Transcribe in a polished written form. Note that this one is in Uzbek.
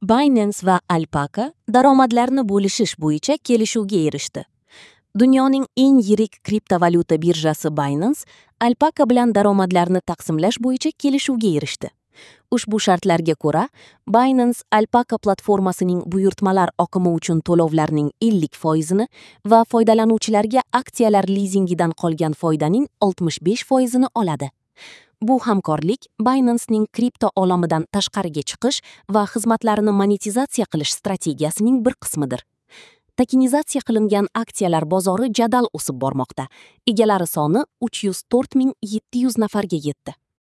Binance va Alpaca daromadlarni bo'lishish bo'yicha kelishuvga erishdi. Dunyoning eng yirik kriptovalyuta birjasi Binance Alpaca bilan daromadlarni taqsimlash bo'yicha kelishuvga erishdi. Ushbu shartlarga ko'ra, Binance Alpaca platformasining buyurtmalar oqimi uchun to'lovlarning 50% ni va foydalanuvchilarga aksiyalar lizingidan qolgan foydaning 65% ni oladi. Bu hamkorlik Binance'ning kripto olamidan tashqariga chiqish va xizmatlarini monetizatsiya qilish strategiyasining bir qismidir. Tokenizatsiya qilingan aksiyalar bozori jadal o'sib bormoqda. Egalari soni 304 700 nafarga yetdi.